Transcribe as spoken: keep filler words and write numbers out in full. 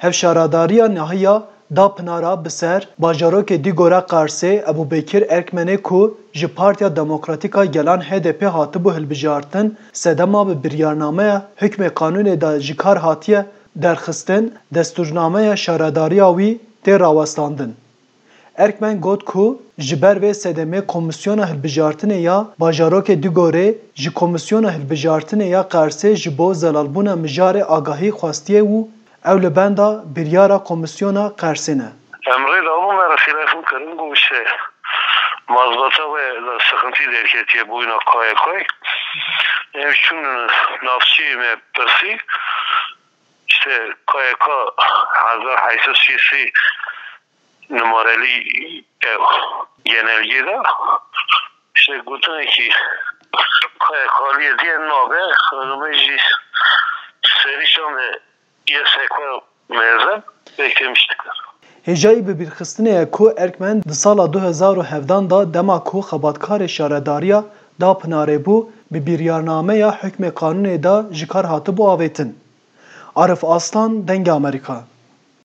Ev şaredariya niha ya da Pinara bi ser bajarokê Dîgora Qersê Ebûbekir Erkmenê ku ji Partiya Demokratîk a Gelan H D P hatibû hilbijartin, sedema bi biryarnameya hukmê qanûnê de ji kar hatiye derxistin, destûrnameya şaredariya wî tê rawestandin. Erkmen got ku ji ber vê sedemê Komîsyona Hilbijartinê ya Bajarokê Dîgorê ji Komîsyona Hilbijartinê ya Qersê ji bo zelalbûna mijarê agahî xwestiye û ew li benda biryara Komîsyona Qersê ne. Em rê dabû me re telefon kirin, got, işte, mazbata we de sıkıntı derketiye boyuna K Y K'yê. Em şûn navçeyê me pirsî, işte, K Y K hezar heyt sed şêst numareli ev genelge de, işte, gotinekî K Y K'liyê diye nabe, xanimê jî serî şan de Y S K mezin pêk têmiş dikir. Hêjayî bibîrxistinê ye ku Erkmen di sala du hezar û hevdan de dema ku xebatkarê şaredariya da Pinarê bû, bi biryarnameya hukmê qanûnê de ji kar hatibû avêtin. Arif Aslan, Dengê Amerîka.